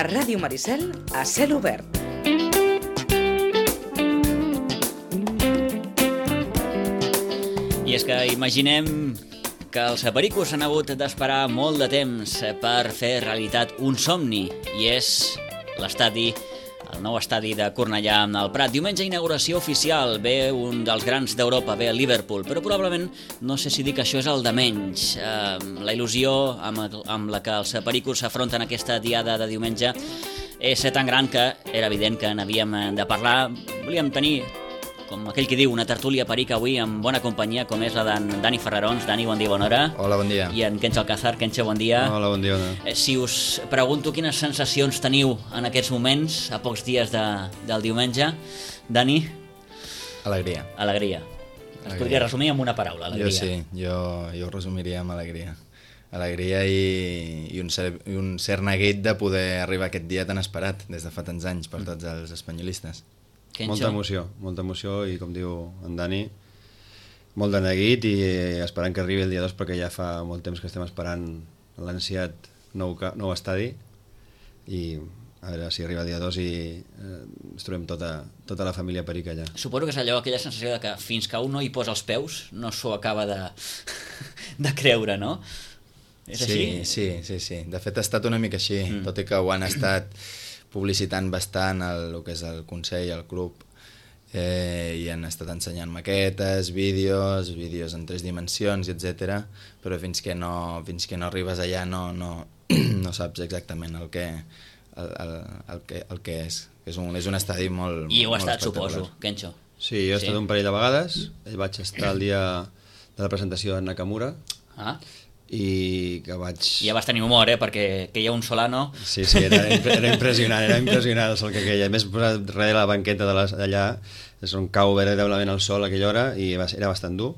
Ràdio Maricel a cel obert. I és que imaginem que els pericos han hagut d'esperar molt de temps per fer realitat un somni, i és l'estadi, el nou estadi de Cornellà al Prat. Diumenge, inauguració oficial, ve un dels grans d'Europa, ve el Liverpool, però probablement no sé si dir que això és el de menys. La il·lusió amb la que els pericos s'afronten aquesta diada de diumenge és tan gran que era evident que n'havíem de parlar. Volíem tenir, com aquell que diu, una tertúlia perica avui amb bona companyia, com és la d'en Dani Ferrarons. Dani, bon dia, bona hora. Hola, bon dia. I en Kencho Alcázar. Kencho, bon dia. Hola, bon dia. Bona. Si us pregunto quines sensacions teniu en aquests moments, a pocs dies del diumenge, Dani? Alegria. Alegria. Es podria resumir amb una paraula, alegria. Jo sí, jo ho resumiria amb alegria. Alegria i un cert neguit de poder arribar a aquest dia tan esperat des de fa tants anys per tots els espanyolistes. Kencho? Molta emoció i, com diu en Dani, molt de neguit i esperant que arribi el dia 2, perquè ja fa molt temps que estem esperant l'ansiat nou estadi, i a veure si arriba el dia 2 i ens trobem tota la família perica allà. Suposo que és allò, aquella sensació de que fins que un no hi posa els peus no s'ho acaba de creure, no? És així? Sí. De fet ha estat una mica així, tot i que ho han estat publicitant bastant el que és el Consell, el club, i han estat ensenyant maquetes, vídeos en 3 dimensions, etc. Però fins que no arribes allà no saps exactament el que és. És un estadi molt I heu estat, espectacular. suposo, Kencho. Sí, jo he estat un parell de vegades, vaig estar el dia de la presentació de Nakamura, i que vaig... Ja vas tenir humor, perquè que hi ha un Solano... Sí, era impressionant, el sol que queia. A més, darrere de la banqueta d'allà és on cau veritablement el sol a aquella hora i era bastant dur,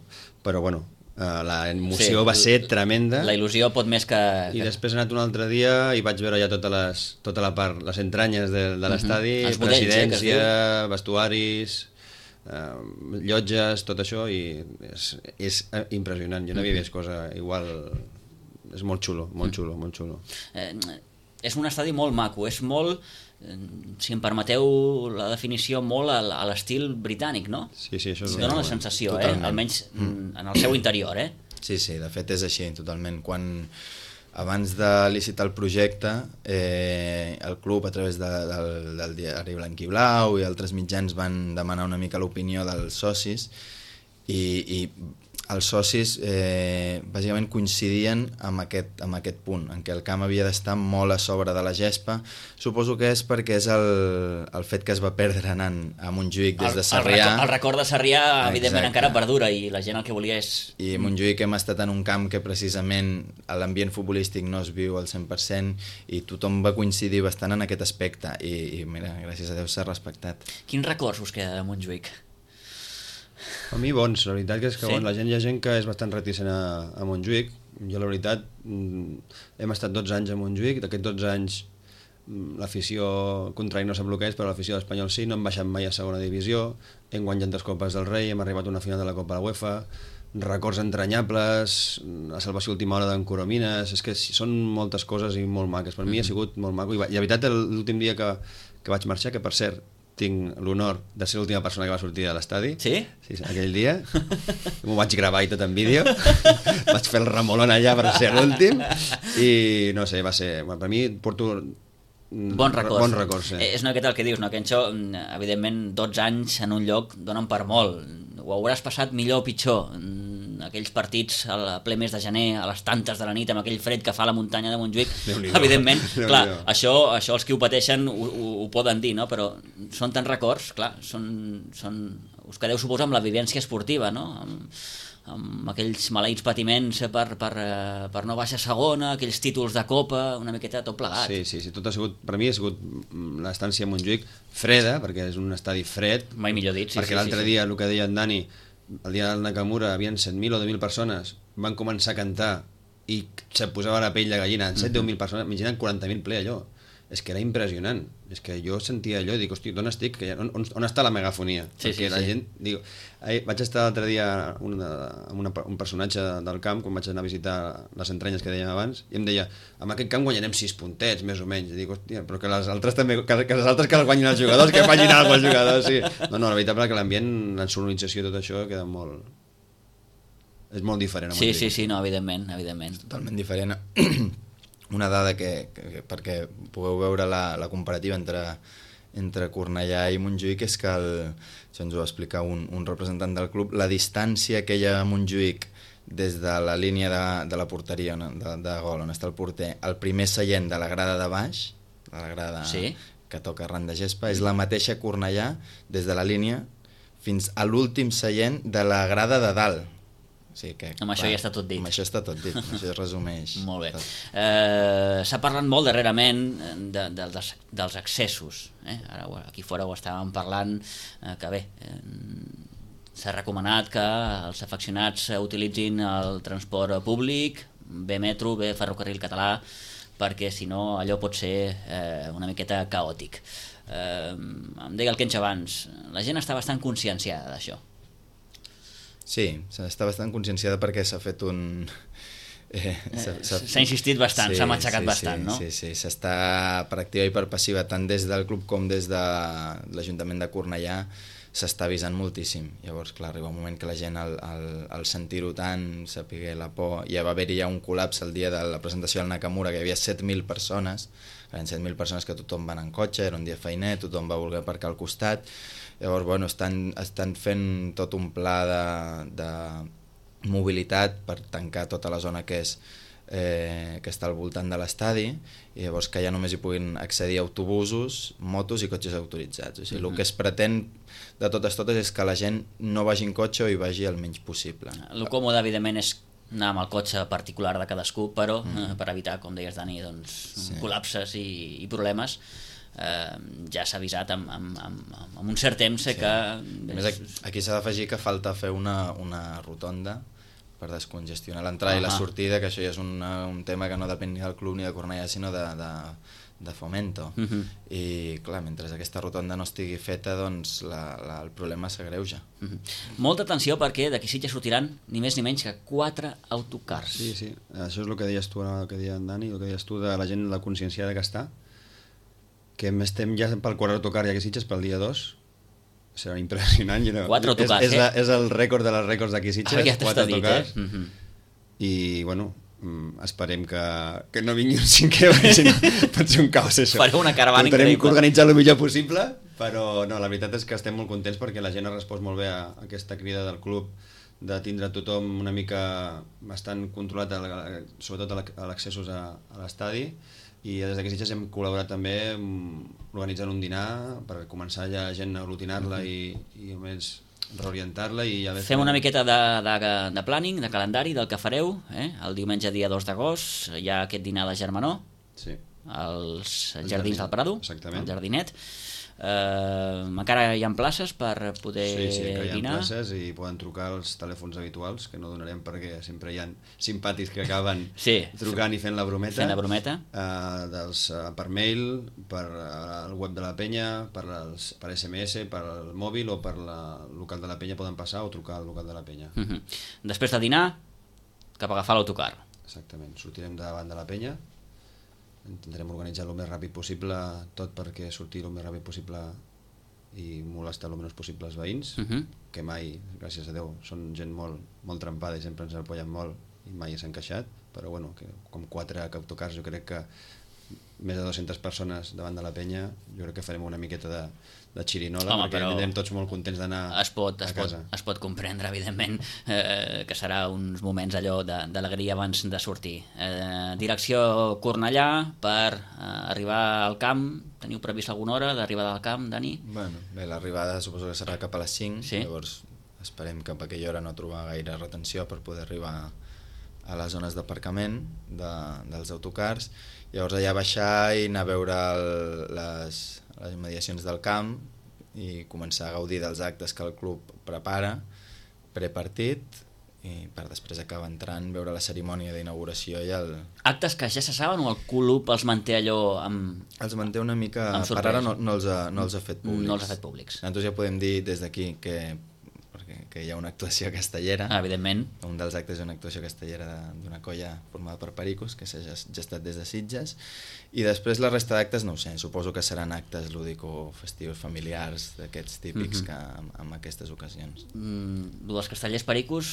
però bueno, la emoció va ser tremenda. La il·lusió pot més que... I després he anat un altre dia i vaig veure ja tota la part, les entranyes de l'estadi, presidència, vestuaris, llotges, tot això, i és impressionant. Jo no havia vist cosa igual. És molt xulo. És un estadi molt maco, és molt, si em permeteu la definició, molt a l'estil britànic, no? Sí, això és... Dóna la sensació, almenys en el seu interior, Sí, de fet és així, totalment. Abans de licitar el projecte, el club, a través del diari Blanc i Blau i altres mitjans, van demanar una mica l'opinió dels socis, i els socis bàsicament coincidien amb aquest punt, en què el camp havia d'estar molt a sobre de la gespa. Suposo que és perquè és el fet que es va perdre anant a Montjuïc des de Sarrià. El record de Sarrià, evidentment, encara perdura, i la gent el que volia és... I a Montjuïc hem estat en un camp que precisament l'ambient futbolístic no es viu al 100%, i tothom va coincidir bastant en aquest aspecte, i mira, gràcies a Déu s'ha respectat. Quins records us queda de Montjuïc? A mi bons, la veritat que és que hi ha gent que és bastant reticent a Montjuïc. Jo, la veritat, hem estat 12 anys a Montjuïc, d'aquests 12 anys l'afició contrari no sap el que és, però l'afició d'Espanyol sí, no hem baixat mai a segona divisió, hem guanyat 2 Copes del Rei, hem arribat a una final de la Copa de la UEFA, records entranyables, la salvació última hora d'en Coromines, és que són moltes coses i molt maques. Per mi ha sigut molt maco, i la veritat, l'últim dia que vaig marxar, que per cert tinc l'honor de ser l'última persona que va sortir de l'estadi. Sí? Sí, aquell dia. M'ho vaig gravar i tot en vídeo. Vaig fer el remolon allà per ser l'últim. I no sé, va ser... Per mi porto... Bons records. Sí. És una miqueta el que dius, no, Kencho? Evidentment, 12 anys en un lloc donen per molt. Ho hauràs passat millor o pitjor. Aquells partits a ple mes de gener, a les tantes de la nit, amb aquell fred que fa la muntanya de Montjuïc, evidentment, clar, això els qui ho pateixen ho poden dir, no? Però són tants records, clar, us quedeu, suposo, amb la vivència esportiva, no? Amb aquells maleïts patiments per no baixar segona, aquells títols de Copa, una miqueta tot plegat. Sí, tot ha sigut, per mi ha sigut l'estància a Montjuïc freda, perquè és un estadi fred. Mai millor dit, perquè l'altre dia, el que deia en Dani, el dia del Nakamura havien 100.000 o 10.000 persones, van començar a cantar i se posava la pell de gallina, 7 o 10.000 persones, imaginaven 40.000 ple allò. és que era impressionant. És que jo sentia allò i dic, hosti, d'on estic? On està la megafonia? Perquè la gent... Diu, vaig estar l'altre dia amb un personatge del camp, quan vaig anar a visitar les entranyes que dèiem abans, i em deia, amb aquest camp guanyarem 6 puntets, més o menys. I dic, hòstia, però que les altres també, que les altres que les guanyin els jugadors, que facin alguna cosa els jugadors, sí. No, la veritat és que l'ambient, la sonorització i tot això queda molt... És molt diferent. Sí, no, evidentment. Totalment diferent. Una dada perquè pugueu veure la comparativa entre Cornellà i Montjuïc és que, això ens ho va explicar un representant del club, la distància que hi ha a Montjuïc des de la línia de la porteria de gol, on està el porter, el primer seient de la grada de baix, de la grada que toca arran de gespa, és la mateixa Cornellà des de la línia fins a l'últim seient de la grada de dalt. Sí, amb això ja està tot dit. Amb això està tot dit, amb això es resumeix. Molt bé. S'ha parlat molt darrerament dels accessos. Ara aquí fora ho estàvem parlant, que bé, s'ha recomanat que els afeccionats utilitzin el transport públic, bé metro, bé ferrocarril català, perquè si no allò pot ser una miqueta caòtic. Em deia el Kench abans, la gent està bastant conscienciada d'això. Sí, està bastant conscienciada perquè s'ha fet un... S'ha insistit bastant, s'ha matxacat bastant, no? Sí, s'està per activa i per passiva, tant des del club com des de l'Ajuntament de Cornellà, s'està avisant moltíssim. Llavors, clar, arriba un moment que la gent, al sentir-ho tant, sapigué la por, ja va haver-hi un col·lapse el dia de la presentació del Nakamura, que hi havia 7.000 persones, eren 7.000 persones que tothom va anar en cotxe, era un dia feiner, tothom va voler aparcar al costat. Llavors, bueno, estan fent tot un pla de mobilitat per tancar tota la zona que està al voltant de l'estadi, i llavors que ja només hi puguin accedir autobusos, motos i cotxes autoritzats. O sigui, el que es pretén de totes és que la gent no vagi en cotxe o hi vagi el menys possible. El còmode, evidentment, és anar amb el cotxe particular de cadascú, però per evitar, com deies, Dani, col·lapses i problemes, ja s'ha avisat amb un cert temps que... A més, aquí s'ha d'afegir que falta fer una rotonda per descongestionar l'entrada i la sortida, que això ja és un tema que no depèn ni del club ni de Cornellà, sinó de Fomento. I clar, mentre aquesta rotonda no estigui feta, doncs el problema s'agreuja. Molta atenció, perquè d'aquí Sitges sortiran ni més ni menys que 4 autocars. Sí, això és el que deies tu, el que deia en Dani, el que deies tu de la gent, la conscienciada que està, que estem ja pel quart autocar i aquí Sitges pel dia 2, serà impressionant. 4 autocars, és el rècord de les rècords d'aquí Sitges, 4 autocars. I, bueno, esperem que no vingui un cinquè, perquè si no pot ser un caos, això. Fareu una caravana increïble. Tenim que organitzar el millor possible, però no, la veritat és que estem molt contents perquè la gent ha respost molt bé a aquesta crida del club de tindre tothom una mica bastant controlat, sobretot a l'accessos a l'estadi, i des d'aquí Sitges hem col·laborat també organitzant un dinar per començar ja la gent a aglutinar-la i almenys reorientar-la. Fem una miqueta de planning, de calendari del que fareu. El diumenge dia 2 d'agost hi ha aquest dinar de germanor als Jardins del Prado, al Jardinet. Encara hi ha places per poder dinar? Sí, encara hi ha places i poden trucar als telèfons habituals, que no donarem perquè sempre hi ha simpàtics que acaben trucant i fent la brometa. Per mail, per el web de la penya, per SMS, per el mòbil o per el local de la penya poden passar o trucar al local de la penya. Després de dinar, cap a agafar l'autocar. Exactament, sortirem davant de la penya, intentarem organitzar el més ràpid possible, tot perquè sortir el més ràpid possible i molestar el menys possible els veïns, que mai, gràcies a Déu, són gent molt trempada i sempre ens apoyen molt i mai s'han queixat, però bueno, com 4 autocars, jo crec que més de 200 persones davant de la penya, jo crec que farem una miqueta de xirinola, perquè anirem tots molt contents d'anar a casa. Es pot comprendre, evidentment, que serà uns moments allò d'alegria abans de sortir. Direcció Cornellà per arribar al camp. Teniu previst alguna hora d'arribada al camp, Dani? Bé, l'arribada suposo que serà cap a les 5, llavors esperem que per aquella hora no trobar gaire retenció per poder arribar a les zones d'aparcament dels autocars. Llavors allà baixar i anar a veure les mediacions del camp i començar a gaudir dels actes que el club prepara prepartit i per després acabar entrant, veure la cerimònia d'inauguració i el... Actes que ja se saben o el club els manté allò amb... Els manté una mica... Amb Per sorpresa. ara no els ha fet públics. No els ha fet públics. Nosaltres ja podem dir des d'aquí que hi ha una actuació castellera. Evidentment. Un dels actes és una actuació castellera d'una colla formada per pericos, que s'ha gestat des de Sitges, i després la resta d'actes no ho sé, suposo que seran actes lúdico-festius familiars d'aquests típics que en aquestes ocasions. Lo dels castellers pericos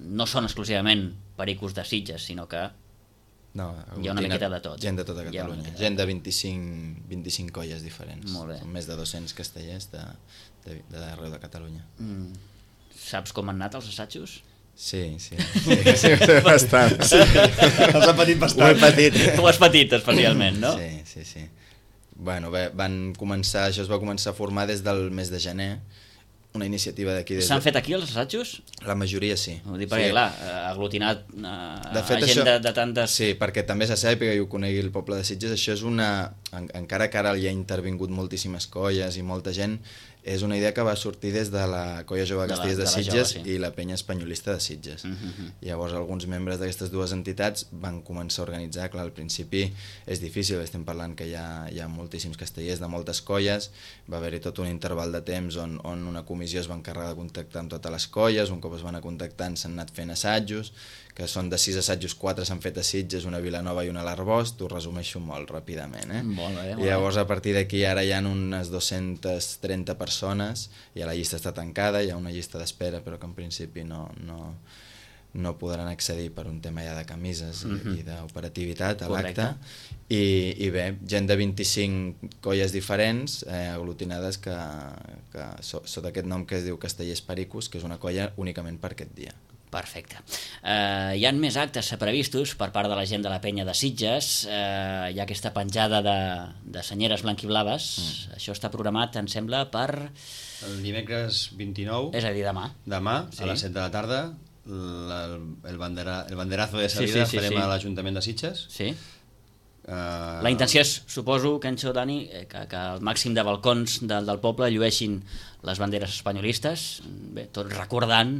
no són exclusivament pericos de Sitges, sinó que No, hi ha una miqueta de tot. Gent de tota Catalunya, gent de 25 colles diferents. Molt bé. Són més de 200 castellers d'arreu de Catalunya. Saps com han anat els assajos? Sí, bastant. Els ha patit bastant. Ho he patit. Tu has patit especialment, no? Sí. Bueno, bé, això es va començar a formar des del mes de gener, una iniciativa d'aquí. S'han fet aquí els assajos? La majoria sí. Ho dic perquè, clar, aglutinat De fet, gent això, de tantes... Sí, perquè també se sàpiga i ho conegui el poble de Sitges, això és encara que ara hi ha intervingut moltíssimes colles i molta gent, és una idea que va sortir des de la Colla Jove de Castellers de Sitges i la Penya Espanyolista de Sitges. Llavors alguns membres d'aquestes dues entitats van començar a organitzar, clar, al principi és difícil, estem parlant que hi ha moltíssims castellers de moltes colles, va haver-hi tot un interval de temps on una comissió es va encarregar de contactar amb totes les colles, un cop es van anar contactant s'han anat fent assajos, que són de 6 assajos, 4 s'han fet a Sitges, una a Vilanova i una a l'Arboç, t'ho resumeixo molt ràpidament. Molt bé. Llavors a partir d'aquí ara hi ha unes 230 persones i la llista està tancada, hi ha una llista d'espera però que en principi no podran accedir per un tema ja de camises i d'operativitat a l'acte. I bé, gent de 25 colles diferents aglutinades que sota aquest nom que es diu Castellers Pericos, que és una colla únicament per aquest dia. Perfecte. Hi ha més actes previstos per part de la gent de la penya de Sitges. Hi ha aquesta penjada de senyeres blanquiblaves. Això està programat, em sembla, per... El dimecres 29. És a dir, demà. Demà, sí. A les 7 de la tarda, el banderazo de salida farem a l'Ajuntament de Sitges. Sí. La intenció és, suposo, Kencho, Dani, que el màxim de balcons del poble llueixin les banderes espanyolistes, bé, tot recordant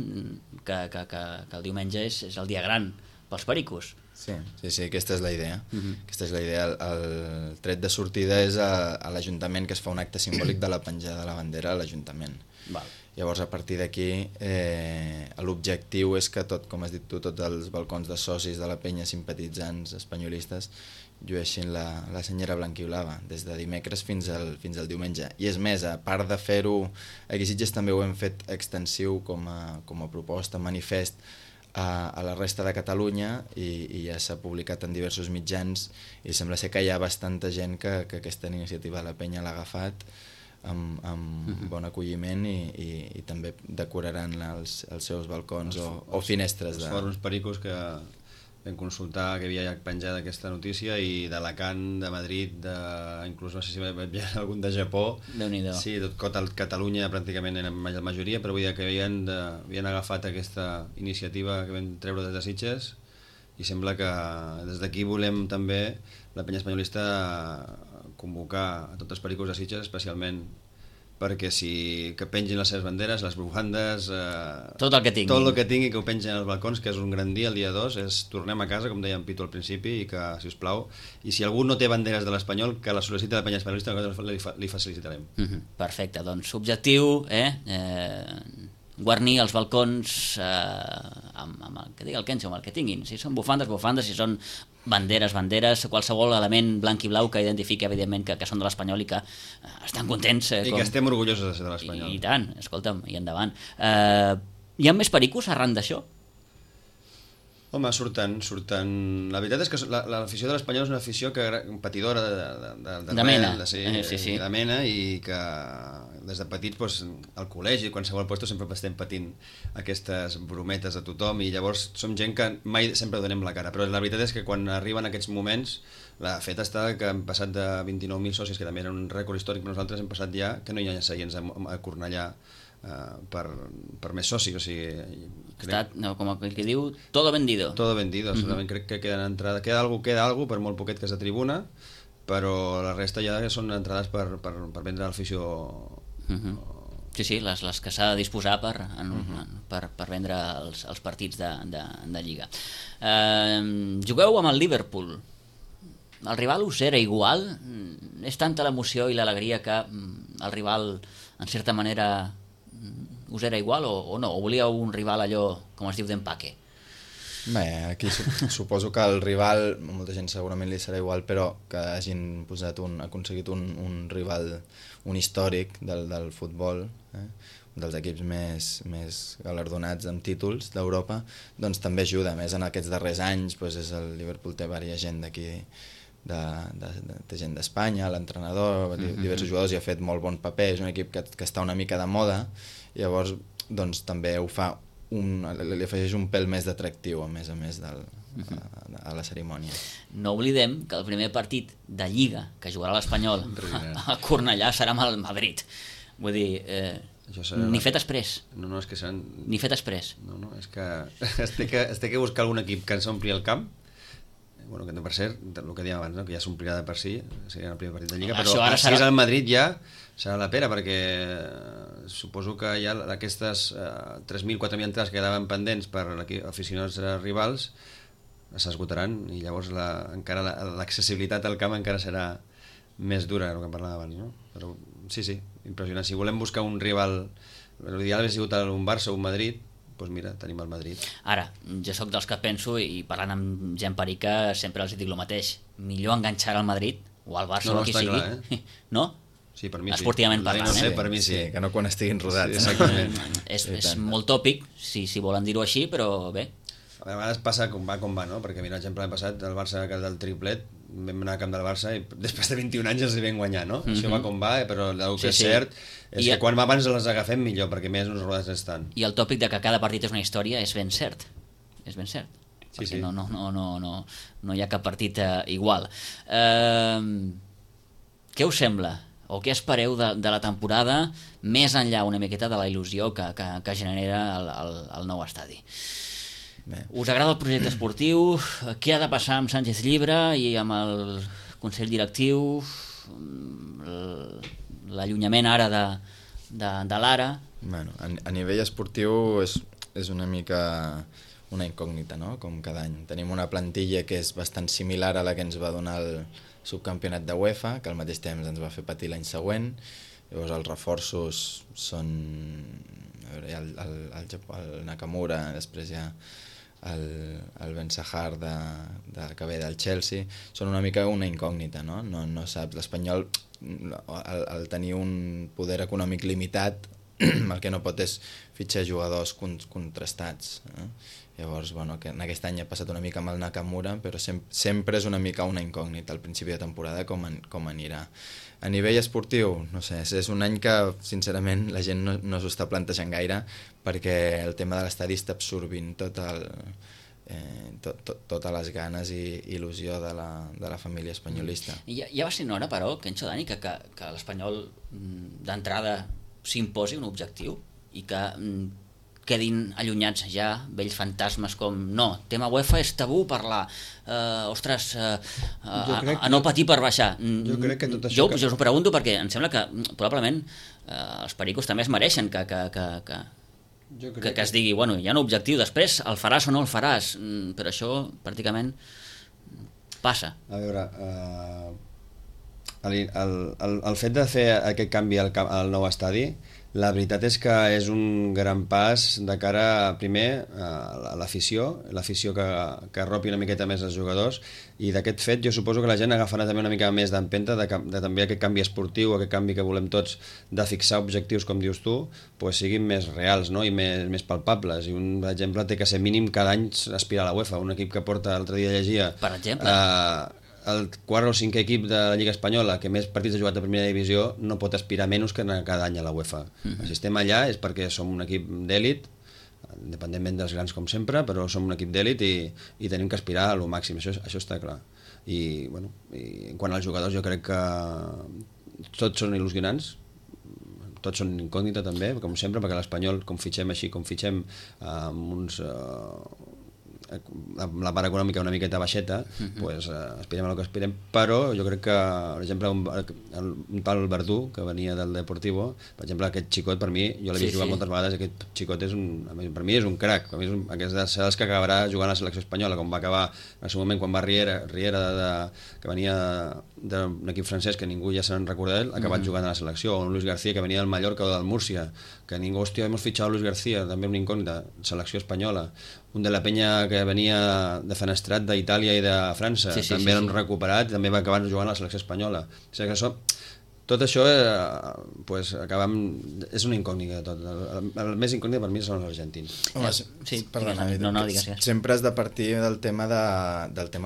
que el diumenge és el dia gran pels pericos. Sí, aquesta és la idea. Aquesta és la idea. El tret de sortida és a l'Ajuntament, que es fa un acte simbòlic de la penjada de la bandera a l'Ajuntament. Llavors, a partir d'aquí, l'objectiu és que com has dit tu, tots els balcons de socis de la penya, simpatitzants espanyolistes, llueixin la senyera blanquiblava des de dimecres fins al diumenge. I és més, a part de fer-ho, aquí a Sitges també ho hem fet extensiu com a proposta, manifest, a la resta de Catalunya i ja s'ha publicat en diversos mitjans i sembla ser que hi ha bastanta gent que aquesta iniciativa de la penya l'ha agafat amb bon acolliment i també decoraran els seus balcons o finestres. Els fòrums pericos que vam consultar que havia penjat aquesta notícia i d'Alacant, de Madrid, inclús no sé si veig algun de Japó. Déu-n'hi-do. Sí, tot Catalunya pràcticament en la majoria, però vull dir que havien agafat aquesta iniciativa que vam treure des de Sitges i sembla que des d'aquí volem també la penya espanyolista convocar a tots els pericos de Sitges, especialment perquè que pengin les seves banderes, les bufandes, tot el que tingui que ho pengin als balcons, que és un gran dia el dia 2, tornem a casa, com deia en Pitu al principi, i que, si us plau, i si algú no té banderes de l'Espanyol, que la sol·liciti a la penya espanyolista, li facilitarem. Perfecte, doncs objectiu, guarnir els balcons amb el que digui el Kencho, amb el que tinguin. Si són bufandes, si són banderes, qualsevol element blanc i blau que identifiqui, evidentment, que són de l'Espanyol i que estan contents. I que estem orgullosos de ser de l'Espanyol. I tant, escolta'm, i endavant. Hi ha més pericos arran d'això? Home, surten. La veritat és que l'afició de l'Espanyol és una afició patidora de mena. De mena, i que des de petits al col·legi, a qualsevol lloc sempre estem patint aquestes brometes a tothom i llavors som gent que mai sempre donem la cara, però la veritat és que quan arriben aquests moments la feta està que hem passat de 29.000 socis, que també era un rècord històric, però nosaltres hem passat ja que no hi ha seients a Cornellà per més socis, o sigui... Com el que diu, todo vendido. Todo vendido, solament crec que queda algú, per molt poquet que és de tribuna, però la resta ja són entrades per vendre a l'afició Sí, les que s'ha de disposar per vendre els partits de Lliga. Jugueu amb el Liverpool. El rival us era igual? És tanta l'emoció i l'alegria que el rival, en certa manera, us era igual o no? O volíeu un rival allò, com es diu, d'empaque? Bé, aquí suposo que el rival, molta gent segurament li serà igual, però que hagin aconseguit un rival, un històric del futbol, dels equips més galardonats amb títols d'Europa, doncs també ajuda. A més, en aquests darrers anys doncs el Liverpool té diversa gent d'aquí, té gent d'Espanya, l'entrenador, diversos jugadors, i ha fet molt bon paper. És un equip que està una mica de moda, i llavors doncs, també ho fa li afegeix un pèl més d'atractiu a més a la cerimònia. No oblidem que el primer partit de Lliga que jugarà l'Espanyol a Cornellà serà amb el Madrid. Vull dir, ni fet exprés. No, és que seran... Ni fet exprés. No, és que es té que buscar algun equip que ens ompli el camp. Bueno, que per cert, el que dèiem abans, no? Que ja s'omplirà de per si, seria el primer partit de Lliga, però si és el Madrid ja serà la pera, perquè suposo que ja aquestes 3.000, 4.000 entrades que quedaven pendents per aficionats rivals s'esgotaran, i llavors encara l'accessibilitat al camp encara serà més dura, el que parlàvem abans, no? Però sí, impressionant. Si volem buscar un rival, l'ideal hauria sigut un Barça o un Madrid, doncs mira, tenim el Madrid. Ara, jo sóc dels que penso, i parlant amb gent perica sempre els dic el mateix, millor enganxar al Madrid o al Barça o qui sigui, clar, no? Sí, per mi sí. Esportivament parlant, no sé, per mi sí. Que no quan estiguin rodats. Sí, exactament. És molt tòpic, si volen dir-ho així, però bé. A vegades passa com va, no? Perquè mira, l'exemple l'any passat, el Barça del triplet, vam anar al camp del Barça i després de 21 anys els hi vam guanyar, no? Això va com va, però el que és cert és que quan abans les agafem millor, perquè més uns rodats estan. I el tòpic de que cada partit és una història és ben cert. És ben cert. Perquè no hi ha cap partit igual. Què us sembla? O què espereu de la temporada, més enllà una miqueta de la il·lusió que genera el nou estadi? Bé. Us agrada el projecte esportiu? Què ha de passar amb Sánchez Llibre i amb el Consell Directiu? L'allunyament ara de l'Ara? Bueno, a nivell esportiu és una mica una incògnita, no? Com cada any. Tenim una plantilla que és bastant similar a la que ens va donar el subcampionat de UEFA, que al mateix temps ens va fer patir l'any següent. Llavors els reforços són el Nakamura, després hi ha el Ben Sahar que ve del Chelsea. Són una mica una incògnita, no? No saps, l'Espanyol al tenir un poder econòmic limitat el que no pot és fitxar jugadors contrastats, Llavors, bueno, que en aquest any ha passat una mica amb el Nakamura, però sempre és una mica una incògnita al principi de temporada com anirà. A nivell esportiu, no sé, és un any que, sincerament, la gent no s'ho està plantejant gaire, perquè el tema de l'estadi està absorbint totes les ganes i il·lusió de la família espanyolista. Ja va ser una hora, però, Kencho, Dani, que l'Espanyol d'entrada s'imposi un objectiu i que quedin allunyats ja vells fantasmes com tema UEFA és tabú parlar, a no patir per baixar. Jo crec que tot això... Jo us ho pregunto perquè em sembla que probablement els pericos també es mereixen que es digui, bueno, hi ha un objectiu, després el faràs o no el faràs, però això pràcticament passa. A veure, el fet de fer aquest canvi al nou estadi, la veritat és que és un gran pas de cara, primer, a l'afició que arropi una miqueta més els jugadors, i d'aquest fet jo suposo que la gent agafarà també una mica més d'empenta de també aquest canvi esportiu, aquest canvi que volem tots de fixar objectius, com dius tu, pues siguin més reals, no? I més palpables. I un exemple té que ser mínim cada any aspirar a la UEFA. Un equip que porta, l'altre dia llegia, per exemple, el quart o cinquè equip de la Lliga Espanyola que més partits ha jugat a primera divisió no pot aspirar menys que anar cada any a la UEFA. Si estem allà és perquè som un equip d'èlit, independentment dels grans com sempre, però som un equip d'èlit i tenim que aspirar a lo màxim, això està clar. I quant als jugadors jo crec que tots són il·lusionants, tots són incògnita també, com sempre, perquè l'Espanyol, com fitxem així, com fitxem amb uns la part econòmica una miqueta baixeta, pues, aspirem a el que aspirem, però jo crec que, per exemple, un tal Verdú, que venia del Deportivo, per exemple, aquest xicot, per mi, jo l'he vist jugar moltes vegades, aquest xicot per mi és un crac, per mi és dels que acabarà jugant a la selecció espanyola, com va acabar en el seu moment quan va Riera que venia d'un equip francès que ningú ja se'n recorda d'ell, ha acabat jugant a la selecció, o un Luis García que venia del Mallorca o del Múrcia, que ningú, hòstia, hemos fichado a Luis García, també una incògnita, selecció espanyola, un de la Penya que venia de Fenestrat d'Itàlia i de França, també l'han recuperat, també va acabar jugant a la selecció espanyola. O sigui que tot això pues, és una incògnita. El més incògnita per mi són els argentins. Home, perdona, digues. Sempre has de partir del tema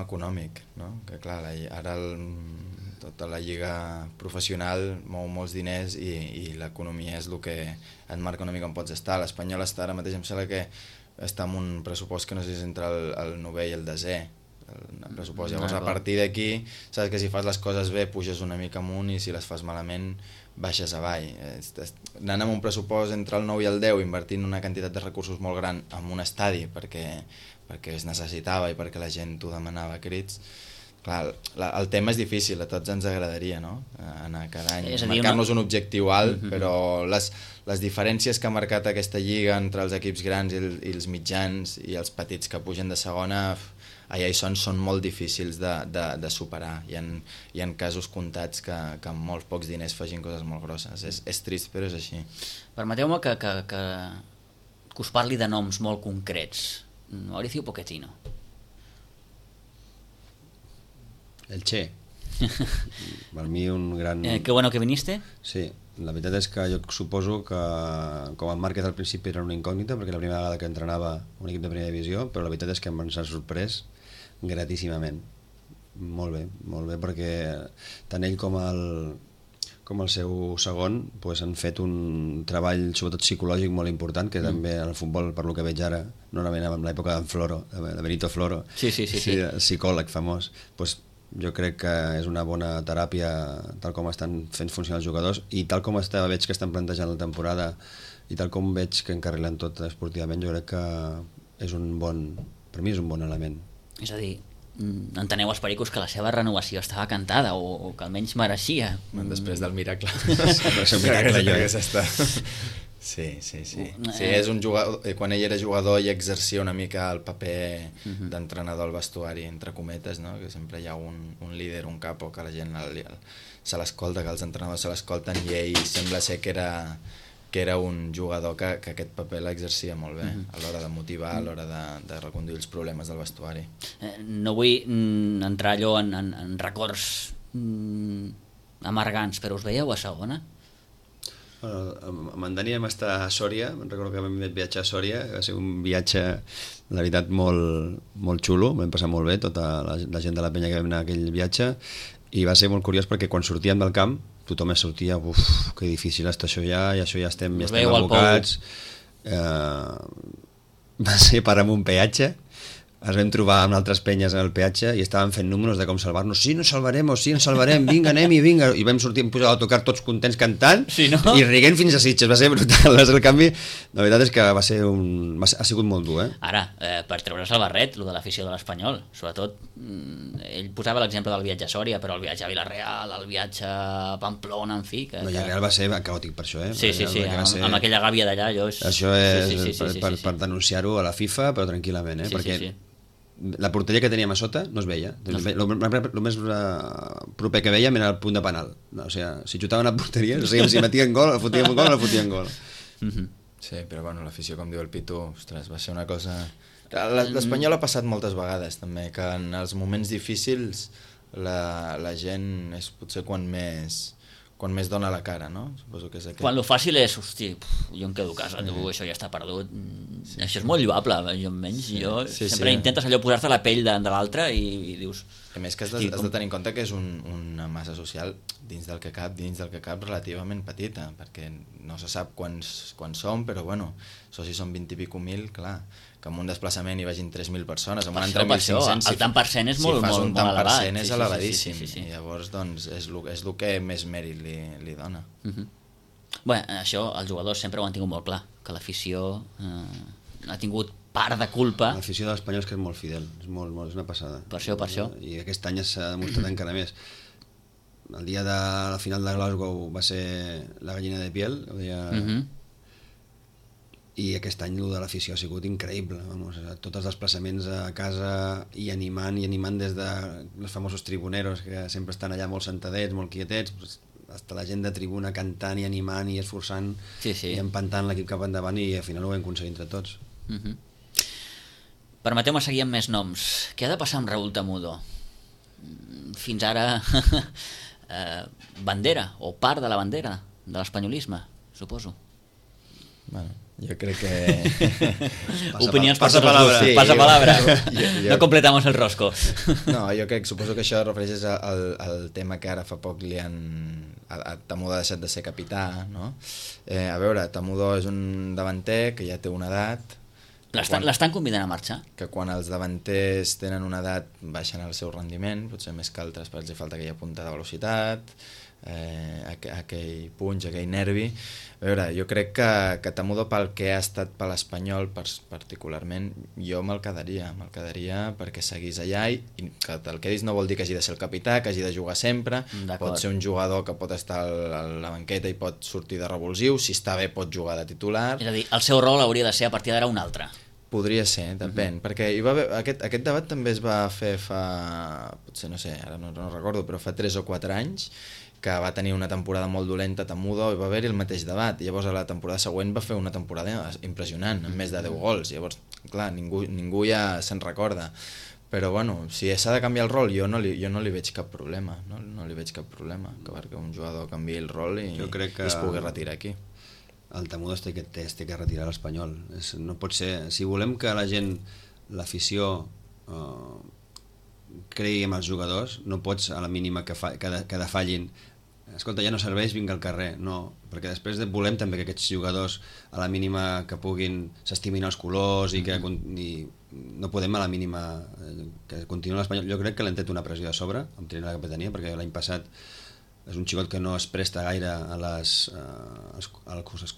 econòmic, no? Que clar, ara tota la lliga professional mou molts diners i l'economia és el que et marca una mica on pots estar. L'Espanyol està ara mateix, em sembla que està amb un pressupost que no sé si és entre el 9è i el 10è el pressupost. Llavors a partir d'aquí saps que si fas les coses bé puges una mica amunt i si les fas malament baixes avall. Anant amb un pressupost entre el 9 i el 10, invertint una quantitat de recursos molt gran en un estadi perquè es necessitava i perquè la gent t'ho demanava a crits. Clar, el tema és difícil, a tots ens agradaria, no? Anar cada any, marcar-nos un objectiu alt, però les diferències que ha marcat aquesta lliga entre els equips grans i els mitjans i els petits que pugen de segona, allà hi són molt difícils de superar. Hi ha casos comptats que amb molts pocs diners facin coses molt grosses. És trist, però és així. Permeteu-me que us parli de noms molt concrets. Mauricio Pochettino. El Che. Per mi un gran... Qué bueno que viniste. Sí, la veritat és que jo suposo que com en Márquez al principi era una incògnita perquè la primera vegada que entrenava un equip de primera divisió, però la veritat és que ens ha sorprès gratíssimament. Molt bé, perquè tant ell com el seu segon pues, han fet un treball sobretot psicològic molt important, que també en el futbol, per lo que veig ara, normalment en l'època d'en Floro, de Benito Floro, sí. psicòleg famós, pues, jo crec que és una bona teràpia tal com estan fent funcionar els jugadors i tal com veig que estan plantejant la temporada i tal com veig que encarrilen tot esportivament, jo crec que per mi és un bon element. És a dir, enteneu els pericos que la seva renovació estava cantada o que almenys mereixia. Després del miracle. És un miracle, jo. Sí. Sí, és un jugador, quan ell era jugador i exercia una mica el paper d'entrenador al vestuari, entre cometes, no? Que sempre hi ha un líder, un capo, que la gent se l'escolta, que els entrenadors se l'escolten, i ell sembla ser que era un jugador que aquest paper l'exercia molt bé, a l'hora de motivar, a l'hora de reconduir els problemes del vestuari. No vull entrar allò en records amargants, però us veieu a segona? Amb en Dani vam estar a Sòria, me'n recordo que vam viatjar a Sòria, va ser un viatge, la veritat, molt xulo, vam passar molt bé, tota la gent de la penya que vam anar a aquell viatge, i va ser molt curiós perquè quan sortíem del camp tothom sortia, que difícil està això ja, i això ja estem abocats. Va ser parar amb un peatge, ens vam trobar amb altres penyes en el peatge i estàvem fent números de com salvar-nos. Sí, ens salvarem, vinga, anem-hi, vinga. I vam sortir, pujar a l'autocar tots contents cantant, sí, no? I riguent fins a Sitges. Va ser brutal. El canvi, la veritat és que ha sigut molt dur. Ara, per treure's el barret, el de l'afició de l'Espanyol, sobretot, ell posava l'exemple del viatge a Sòria, però el viatge a Vilareal, el viatge a Pamplona, en fi... Vilareal va ser caòtic per això, Sí, amb aquella gàbia d'allà, Això és per denunciar-ho a la FIFA, però tranquil·lament, perquè la porteria que teníem a sota no es veia. El més proper que vèiem era el punt de penal. O sigui, si xutaven a porteria, no sabíem si metien gol, fotíem un gol o no fotíem gol. Sí, però bueno, l'afició, com diu el Pitu, ostres, va ser una cosa... L'Espanyol ha passat moltes vegades, també, que en els moments difícils la gent és potser quan més dona la cara, no? Suposo que és aquest. Quan lo fàcil és, hosti, jo em quedo a casa, això ja està perdut. Això és molt lloable, jo sempre intentes allò posar-te la pell de l'altre i dius... A més que has de tenir en compte que és una massa social dins del que cap relativament petita, perquè no se sap quants som, però bueno, això si són 20 i pico mil, clar, que en un desplaçament hi vagin 3.000 persones, en un entre 1.500... El tant per cent és molt elevat. Si fas un tant per cent és elevadíssim, i llavors doncs és el que més mèrit li dona. Bé, això els jugadors sempre ho han tingut molt clar, que l'afició ha tingut part de culpa. L'afició de l'Espanyol és que és molt fidel, és una passada. Per això. I aquest any s'ha demostrat encara més. El dia de la final de Glasgow va ser la gallina de piel, i aquest any el de l'afició ha sigut increïble. Vamos, tots els desplaçaments a casa i animant des de els famosos tribuneros que sempre estan allà molt sentadets, molt quietets, hasta la gent de tribuna cantant i animant i esforçant i empantant l'equip cap endavant, i al final ho vam aconseguir entre tots. Permeteu-me seguir amb més noms. Què ha de passar amb Raúl Tamudo? Fins ara bandera, o part de la bandera de l'espanyolisme, suposo. Bueno, jo crec que... Opinions per passa tots els grups. palabra. Passa palabra. No completamos el rosco. No, jo suposo que això refereix al tema que ara fa poc li han... Tamudo ha deixat de ser capità, no? A veure, Tamudo és un davanter que ja té una edat... L'estan convidant a marxar? Que quan els davanters tenen una edat baixen el seu rendiment, potser més que altres, perquè els falta aquella punta de velocitat, aquell punx, aquell nervi. A veure, jo crec que Tamudo, pel que ha estat per l'Espanyol particularment, jo me'l quedaria perquè seguís allà, i que te'l quedis no vol dir que hagi de ser el capità, que hagi de jugar sempre. Pot ser un jugador que pot estar a la banqueta i pot sortir de revulsiu, si està bé pot jugar de titular. És a dir, el seu rol hauria de ser a partir d'ara un altre. Podria ser, depèn, perquè hi va haver, aquest debat també es va fer potser no sé, ara no recordo, però fa 3 o 4 anys, que va tenir una temporada molt dolenta Tamudo, i va haver-hi el mateix debat, i llavors a la temporada següent va fer una temporada impressionant, amb més de 10 gols, llavors, clar, ningú ja se'n recorda, però bueno, si s'ha de canviar el rol, jo no li veig cap problema, no li veig cap problema, que un jugador canviï el rol i es pugui retirar aquí. El Tamudo es té que retirar a l'Espanyol. No pot ser... Si volem que la gent, l'afició, cregui en els jugadors, no pots a la mínima que defallin. Escolta, ja no serveix, vinga al carrer. No, perquè després volem també que aquests jugadors, a la mínima que puguin, s'estimin els colors i que no podem a la mínima que continuï l'Espanyol. Jo crec que l'han tret una pressió de sobre, amb tenir la capitania, perquè l'any passat és un xicot que no es presta gaire als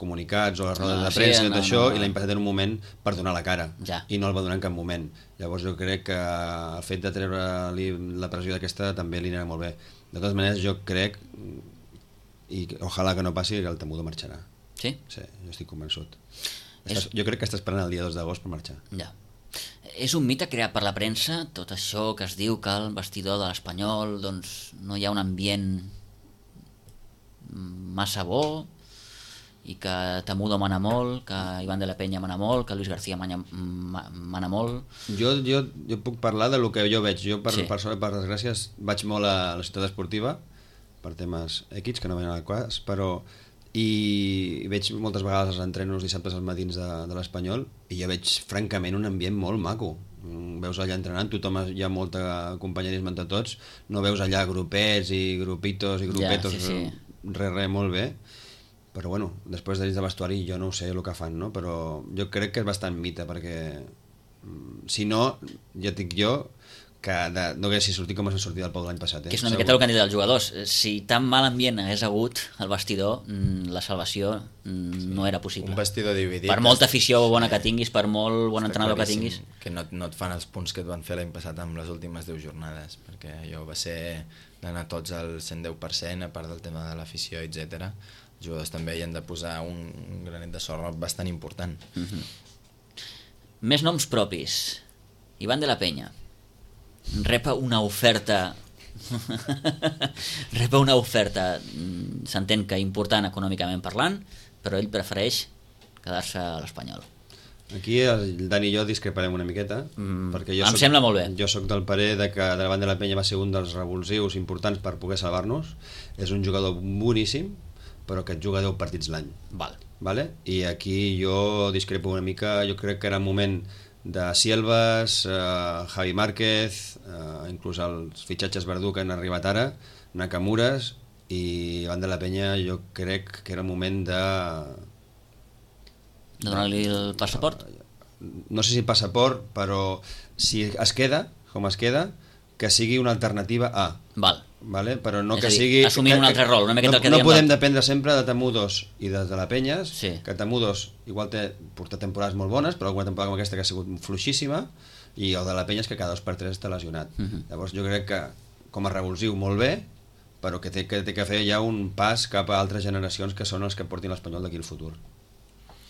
comunicats o a les rodes de premsa i tot això, i l'any passat en un moment per donar la cara, i no el va donar en cap moment. Llavors jo crec que el fet de treure-li la pressió d'aquesta també li anirà molt bé. De totes maneres jo crec, i ojalà que no passi, que el Tamudo marxarà. Sí? Sí, jo estic convençut. Jo crec que està esperant el dia 2 d'agost per marxar. Ja. És un mite creat per la premsa, tot això que es diu que al vestidor de l'Espanyol doncs no hi ha un ambient massa bo, i que Tamudo mana molt, que Iván de la Peña mana molt, que Luis García mana molt. Jo puc parlar de lo que jo veig. Jo, per desgràcia, vaig molt a la ciutat esportiva per temes X, que no venen al cas, però i veig moltes vegades els entrenos dissabtes als matins de l'Espanyol, i jo veig francament un ambient molt maco. Veus allà entrenant, hi ha molt companyerisme entre tots, no veus allà grupets i grupitos i grupetos, res, molt bé, però bueno, després de dins de vestuari jo no sé el que fan, no? Però jo crec que és bastant mite, perquè si no, ja et dic jo que no haguessi sortit com s'ha sortit del Pau l'any passat. Que és una miqueta el que han dit els jugadors. Si tan mal ambient hagués hagut al vestidor, la salvació no era possible. Un vestidor dividit. Per molta afició bona que tinguis, per molt bon entrenador que tinguis. Que no et fan els punts que et van fer l'any passat amb les últimes 10 jornades, perquè allò va ser d'anar tots al 110%, a part del tema de l'afició, etc. Els jugadors també hi han de posar un granet de sorra bastant important. Més noms propis. Iván de la Peña rep una oferta s'entén que important econòmicament parlant, però ell prefereix quedar-se a l'Espanyol. Aquí el Dani i jo discreparem una miqueta, perquè em sembla molt bé. Jo soc del parer de que Iván de la Peña va ser un dels revulsius importants per poder salvar-nos. És un jugador boníssim, però que et juga 10 partits l'any. Vale? I aquí jo discrepo una mica. Jo crec que era el moment de Sielvas, Javi Márquez, inclús els fitxatges Verdú que han arribat ara, Nakamures, i Iván de la Peña jo crec que era el moment de donar-li el passaport? No sé si el passaport, però si es queda, com es queda, que sigui una alternativa a. Val. Vale? Però no És que a dir, sigui... assumint un altre rol, una miqueta el que no dèiem podem l'altre. dependre sempre de Temudos i de la Penyes, Sí. que Temudos igual té portat temporades molt bones, però alguna temporada com aquesta que ha sigut fluixíssima, i el de la Penyes que cada 2x3 està lesionat. Llavors jo crec que com a revulsiu molt bé, però que té que fer ja un pas cap a altres generacions que són els que portin l'Espanyol d'aquí al futur.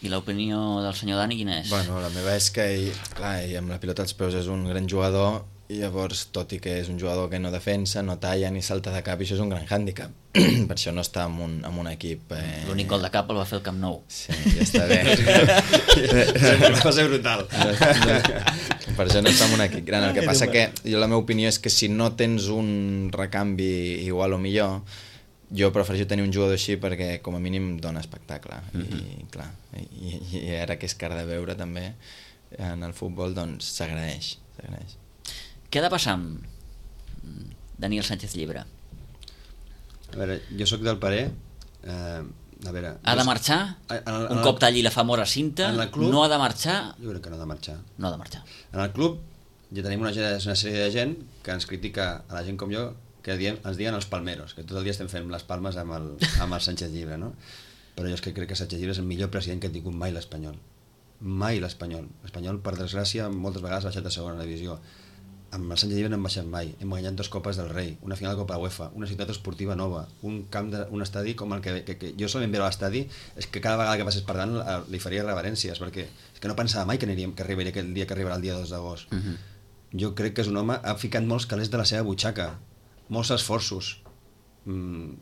I l'opinió del senyor Dani quina és? Bueno, la meva és que ell amb la pilota als peus és un gran jugador, i llavors, tot i que és un jugador que no defensa, no talla ni salta de cap, i això és un gran hàndicap. Per això no està en un equip... L'únic gol de cap el va fer el Camp Nou. Sí, ja està bé. Va ser brutal. Per això no està en un equip gran. El que passa que jo la meva opinió és que si no tens un recanvi igual o millor, jo prefereixo tenir un jugador així perquè com a mínim dona espectacle. I clar, i ara que és car de veure també en el futbol, doncs s'agraeix. Què ha de passar amb Daniel Sánchez Llibre? A veure, jo sóc del parer... a veure... Ha de marxar? Un cop talli la famosa cinta? No ha de marxar? Jo crec que no ha de marxar. No ha de marxar. En el club ja tenim una sèrie de gent que ens critica a la gent com jo, que ens diuen els palmeros, que tot el dia estem fent les palmes amb el Sánchez Llibre, no? Però jo és que crec que Sánchez Llibre és el millor president que ha tingut mai l'Espanyol. Mai l'Espanyol. L'Espanyol, per desgràcia, moltes vegades ha baixat a segona divisió. Amb el Sánchez Llibre no hem baixat mai. Hem guanyat 2 copes del Rei, una final de Copa UEFA, una ciutat esportiva nova, un estadi com el que jo solament veure a l'estadi és que cada vegada que passés per tant li faria reverències, perquè és que no pensava mai que arribaria aquell dia que arribarà el dia 2 d'agost. Jo crec que és un home, ha ficat molts calés de la seva butxaca, molts esforços,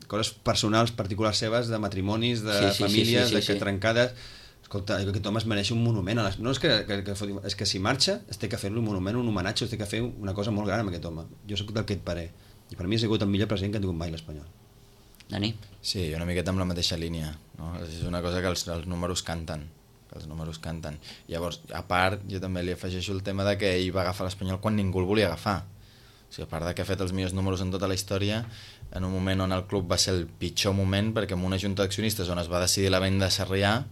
coses personals, particulars seves, de matrimonis, de famílies, de trencades. Escolta, jo crec que aquest home es mereix un monument. No és que si marxa es té que fer-li un monument, un homenatge, es té que fer una cosa molt gran amb aquest home. Jo soc d'aquest parer. I per mi ha sigut el millor president que ha tingut mai l'Espanyol. Dani? Sí, una miqueta amb la mateixa línia, no? És una cosa que els números canten. Llavors, a part, jo també li afegeixo el tema de que ell va agafar l'Espanyol quan ningú el volia agafar. O sigui, a part de que ha fet els millors números en tota la història, en un moment on el club va ser el pitjor moment, perquè en una junta d'accionistes on es va decidir la venda de Sarrià,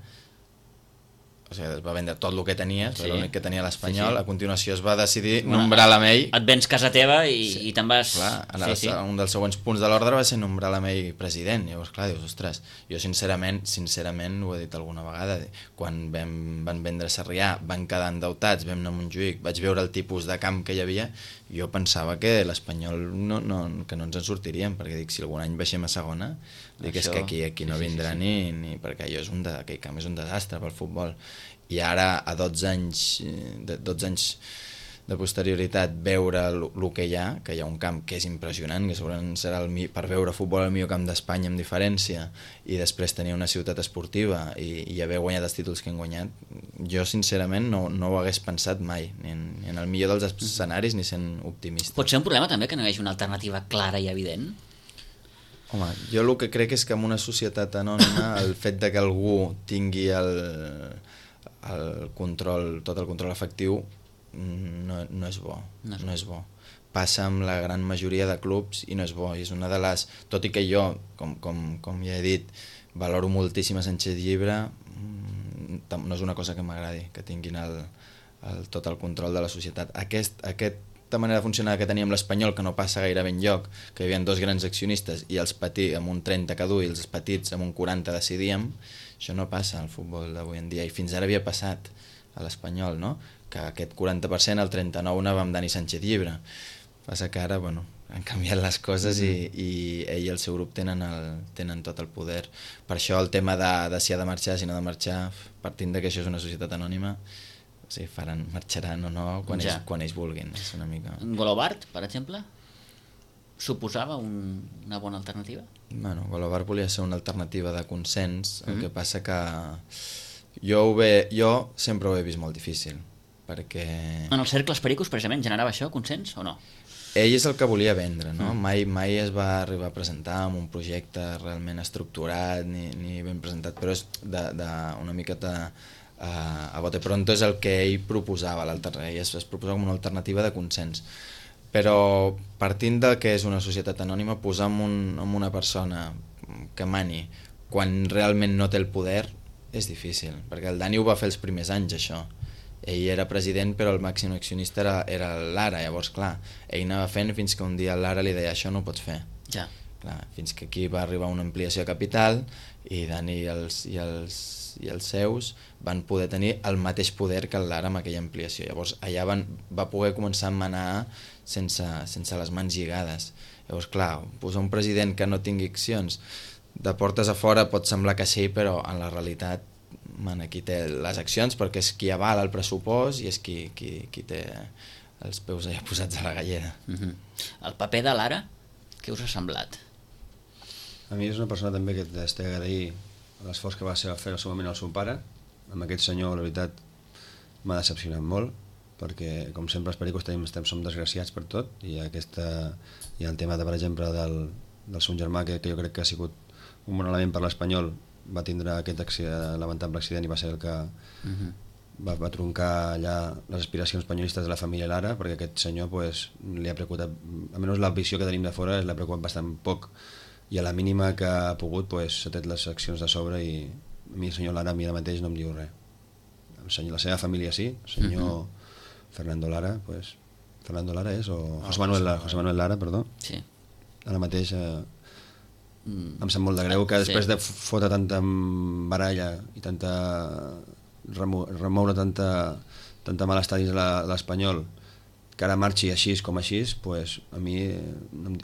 o sigui, es va vendre tot el que tenia, l'únic que tenia l'Espanyol, a continuació es va decidir nombrar l'Amell. Et vens casa teva i te'n vas... Clar, un dels següents punts de l'ordre va ser nombrar l'Amell president. Llavors, clar, dius, ostres, jo sincerament, ho he dit alguna vegada, quan van vendre Sarrià, van quedar endeutats, vam anar a Montjuïc, vaig veure el tipus de camp que hi havia, jo pensava que l'Espanyol que no ens en sortiríem, perquè dic, si algun any baixem a segona, dic, és que aquí no vindrà ni perquè aquell camp és un desastre pel futbol. I ara, a 12 anys de posterioritat, veure el que hi ha un camp que és impressionant, que segurament serà per veure futbol el millor camp d'Espanya amb diferència, i després tenir una ciutat esportiva i haver guanyat els títols que hem guanyat, jo sincerament no ho hagués pensat mai, ni en el millor dels escenaris ni sent optimista. Pot ser un problema també que no hi hagi una alternativa clara i evident? Home, jo el que crec és que en una societat anònima el fet de que algú tingui tot el control efectiu no és bo. No és bo. Passa amb la gran majoria de clubs i no és bo. I és una de les... Tot i que jo, com ja he dit, valoro moltíssim a Sánchez Llibre, no és una cosa que m'agradi, que tinguin tot el control de la societat. Aquesta manera de funcionar que teníem l'Espanyol, que no passa gairebé enlloc, que hi havia 2 grans accionistes i els petits amb un 30 cada un i els petits amb un 40 decidíem, això no passa al futbol d'avui en dia, i fins ara havia passat a l'Espanyol, no? Que aquest 40%, el 39% va amb Dani Sánchez Llibre. Passa que ara, bueno, han canviat les coses i ell i el seu grup tenen tot el poder. Per això el tema de si ha de marxar, si no ha de marxar, partint que això és una societat anònima, sí, marxaran o no quan ells vulguin. És una mica... Golobart, per exemple, suposava una bona alternativa? Bueno, Golobart volia ser una alternativa de consens, el que passa que jo sempre ho he vist molt difícil, perquè... En els cercles pericos, precisament, generava això, consens o no? Ell és el que volia vendre, no? Mai es va arribar a presentar amb un projecte realment estructurat ni ben presentat, però és una miqueta... a bote pronto és el que ell proposava, ell es proposava com una alternativa de consens, però partint del que és una societat anònima, posar en una persona que mani quan realment no té el poder és difícil, perquè el Dani ho va fer els primers anys això, ell era president però el màxim accionista era l'Ara, llavors clar, ell anava fent fins que un dia l'Ara li deia això no ho pots fer. Ja. Clar, fins que aquí va arribar una ampliació de capital i Dani i els seus van poder tenir el mateix poder que l'Ara amb aquella ampliació. Llavors allà va poder començar a manar sense les mans lligades. Llavors clar, posar un president que no tingui accions de portes a fora pot semblar que sí, però en la realitat qui té les accions perquè és qui avala el pressupost i és qui té els peus allà posats a la galleda. El paper de l'Ara, què us ha semblat? A mi és una persona també que t'he d'agrair l'esforç que va fer al seu moment el seu pare. Amb aquest senyor, la veritat, m'ha decepcionat molt, perquè, com sempre, els pericos som desgraciats per tot, i el tema, per exemple, del seu germà, que jo crec que ha sigut un bon element per l'Espanyol, va tindre aquest lamentable accident i va ser el que va truncar allà les aspiracions espanyolistes de la família Lara, perquè aquest senyor li ha preocupat, almenys la visió que tenim de fora, l'ha preocupat bastant poc, i a la mínima que ha pogut s'ha tret les accions de sobre, i a mi el senyor Lara a mi ara mateix no em diu res. La seva família sí, el senyor Fernando Lara, Fernando Lara és, o José Manuel Lara, perdó. Sí. Ara mateix em sap molt de greu que després de fotre tanta baralla i remoure tanta malestar dins l'Espanyol, que ara marxi així com així, a mi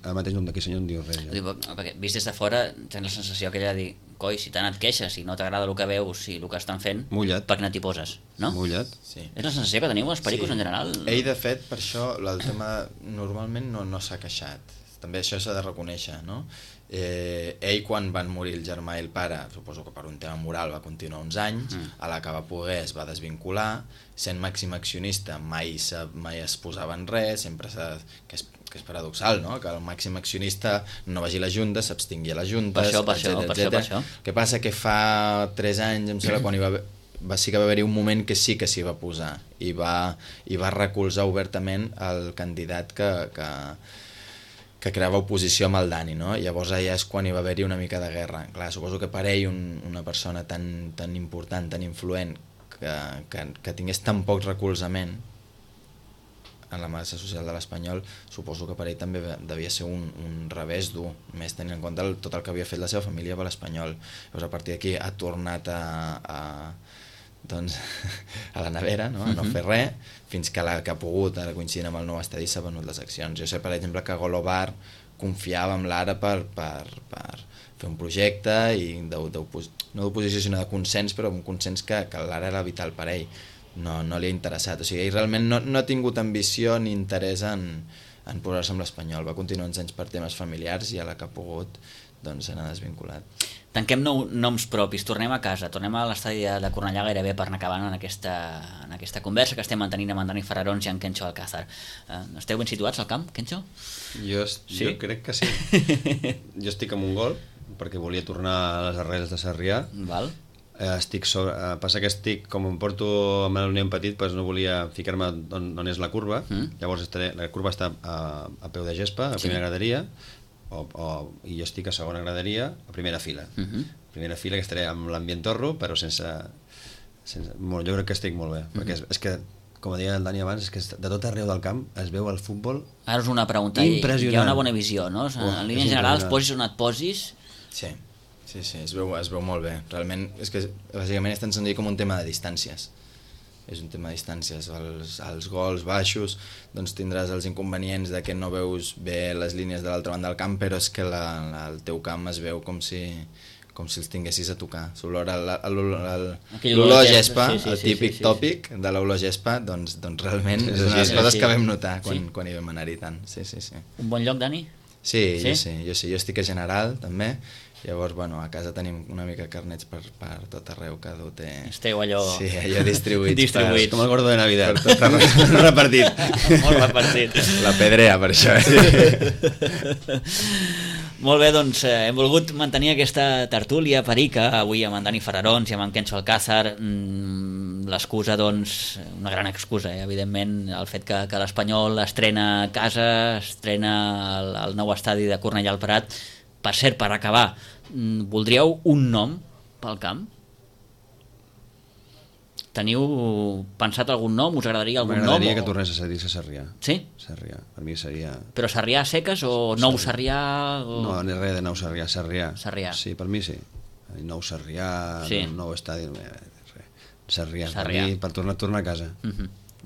ara mateix d'aquí senyor no em diu res. Perquè vist des de fora tens la sensació aquella de dir, coi, si tant et queixes i no t'agrada el que veus i el que estan fent, mullat. Per què no t'hi poses, no? Mullat. Sí. És la sensació que teniu els pericos en general? Ell, de fet, per això el tema normalment no s'ha queixat. També això s'ha de reconèixer, no? Ell, quan van morir el germà i el pare, suposo que per un tema moral va continuar uns anys, a la que va poder es va desvincular, sent màxim accionista mai es posava en res, sempre que és paradoxal, no? Que el màxim accionista no vagi a la Junta, s'abstingui a la Junta, per això. Què passa? Que fa 3 anys, em sembla, quan sí que va haver-hi un moment que sí que s'hi va posar i va recolzar obertament el candidat que creava oposició amb el Dani, no? Llavors allà és quan hi va haver-hi una mica de guerra. Clar, suposo que per ell una persona tan important, tan influent, que tingués tan poc recolzament en la massa social de l'Espanyol, suposo que per ell també devia ser un revés dur, més tenint en compte tot el que havia fet la seva família per l'Espanyol. Llavors a partir d'aquí ha tornat a la nevera, no? A no fer res, fins que que ha pogut, ara coincidint amb el nou estadi, s'ha venut les accions. Jo sé, per exemple, que Golobar confiava en l'Ara per fer un projecte i no d'oposició sinó de consens, però un consens que l'Ara era vital per ell, no li ha interessat. O sigui, ell realment no ha tingut ambició ni interès en posar-se amb l'Espanyol, va continuar uns anys per temes familiars i a la que ha pogut se n'ha desvinculat. Tanquem noms propis, tornem a casa, tornem a l'estadi de Cornellà gairebé per anar acabant en aquesta conversa que estem mantenint amb en Dani Fararons i en Kencho Alcázar. Esteu ben situats al camp, Kencho? Jo crec que sí. Jo estic amb un gol, perquè volia tornar a les arrels de Sarrià. Val. Passa que estic, com em porto amb el nen petit, no volia ficar-me on és la curva. Llavors la curva està a peu de gespa, a primera graderia, i jo estic a segona graderia, a primera fila. Primera fila, que estaré amb l'ambient torro, però sense jo crec que estic molt bé, perquè és que, com deia el Dani abans, és que de tot arreu del camp es veu el futbol. Ara és una pregunta, hi ha una bona visió, no? En línies generals, posis on et posis. Sí, es veu molt bé. Realment, és que bàsicament és tan senzill com un tema de distàncies. És un tema de distàncies. Els gols baixos tindràs els inconvenients de que no veus bé les línies de l'altra banda del camp, però és que el teu camp es veu com si els tinguessis a tocar. L'olor gespa, el típic tòpic de l'olor gespa, doncs realment és una de les coses que vam notar quan hi vam anar-hi tant. Sí. Un bon lloc, Dani? Sí, jo estic a General també. Llavors, a casa tenim una mica carnets per tot arreu, cada un té... Esteu allò... Sí, allò distribuïts. Com el gordo de Navidad. Per tot arreu. Repartit. Molt repartit. La pedrea, per això. Molt bé, doncs hem volgut mantenir aquesta tertúlia perica avui amb en Dani Fararons i amb en Kencho Alcázar. L'excusa, una gran excusa, evidentment, el fet que l'Espanyol estrena a casa, estrena el nou estadi de Cornellà al Prat. Per cert, per acabar, voldríeu un nom pel camp? Teniu pensat algun nom? Us agradaria algun nom? M'agradaria que tornés a dir-se Sarrià. Sí? Sarrià, per mi seria... Però Sarrià seques o Nou Sarrià? O... No, no res de Nou Sarrià, Sarrià. Sarrià. Sí, per mi sí. Nou Sarrià, Sí. nou estadi... Sarrià, per Sarrià. mi, per tornar a casa.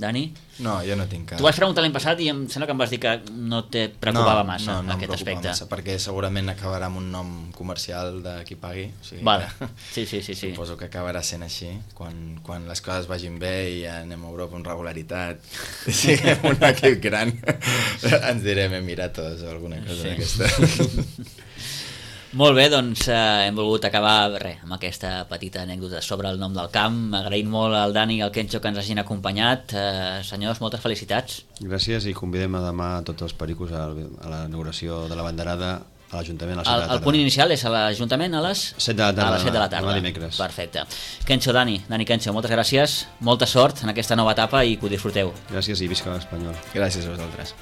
Dani? No, jo no tinc cap... Tu vas preguntar l'any passat i em sembla que em vas dir que no te preocupava massa no aquest aspecte. Massa, perquè segurament acabarà amb un nom comercial de qui pagui. O sigui Vale. que Sí. suposo que acabarà sent així. Quan les coses vagin bé i anem a Europa amb regularitat, i siguem un equip gran, ens direm Emiratos o alguna cosa d'aquesta. Molt bé, doncs hem volgut acabar amb aquesta petita anècdota sobre el nom del camp. Agraïm molt al Dani i al Kencho que ens hagin acompanyat. Senyors, moltes felicitats. Gràcies i convidem a demà tots els pericos a la inauguració de la banderada a l'Ajuntament a les 7 de la tarda. El punt inicial és a l'Ajuntament a les 7 de la tarda, a les 7 de la tarda. demà dimecres. Perfecte. Kencho, Dani Kencho, moltes gràcies, molta sort en aquesta nova etapa i que ho disfruteu. Gràcies i visca l'Espanyol. Gràcies a vosaltres.